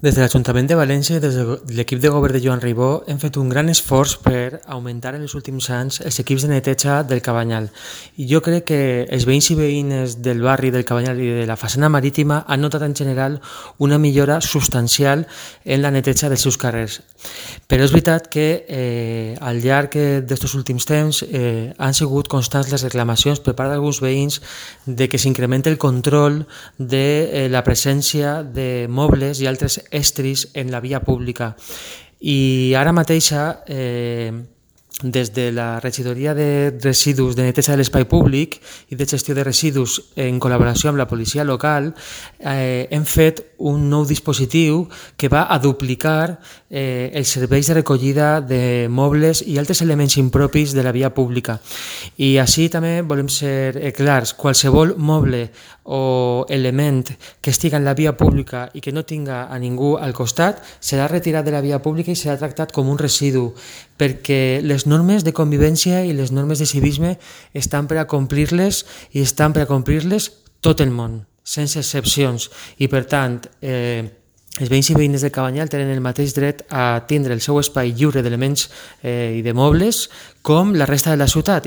Des de l'Ajuntament de València i des de l'equip de govern de Joan Ribó hem fet un gran esforç per augmentar en els últims anys els equips de neteja del Cabanyal. I jo crec que els veïns i veïnes del barri del Cabanyal i de la façana marítima han notat en general una millora substancial en la neteja dels seus carrers. Però és veritat que al llarg d'aquests últims temps han sigut constants les reclamacions per part d'alguns veïns de que s'incrementi el control de la presència de mobles i altres estris en la via pública. I ara mateixa, des de la regidoria de residus de neteja de l'espai públic i de gestió de residus en col·laboració amb la policia local, hem fet un nou dispositiu que va a duplicar els serveis de recollida de mobles i altres elements impropis de la via pública. I així també volem ser clars: qualsevol moble o element que estigui en la via pública i que no tinga a ningú al costat serà retirat de la via pública i serà tractat com un residu, perquè les normes de convivència i les normes de civisme estan per a complir-les i estan per a complir-les tot el món, sense excepcions. I per tant, els veïns i veïnes del Cabanyal tenen el mateix dret a tindre el seu espai lliure d'elements i de mobles com la resta de la ciutat, i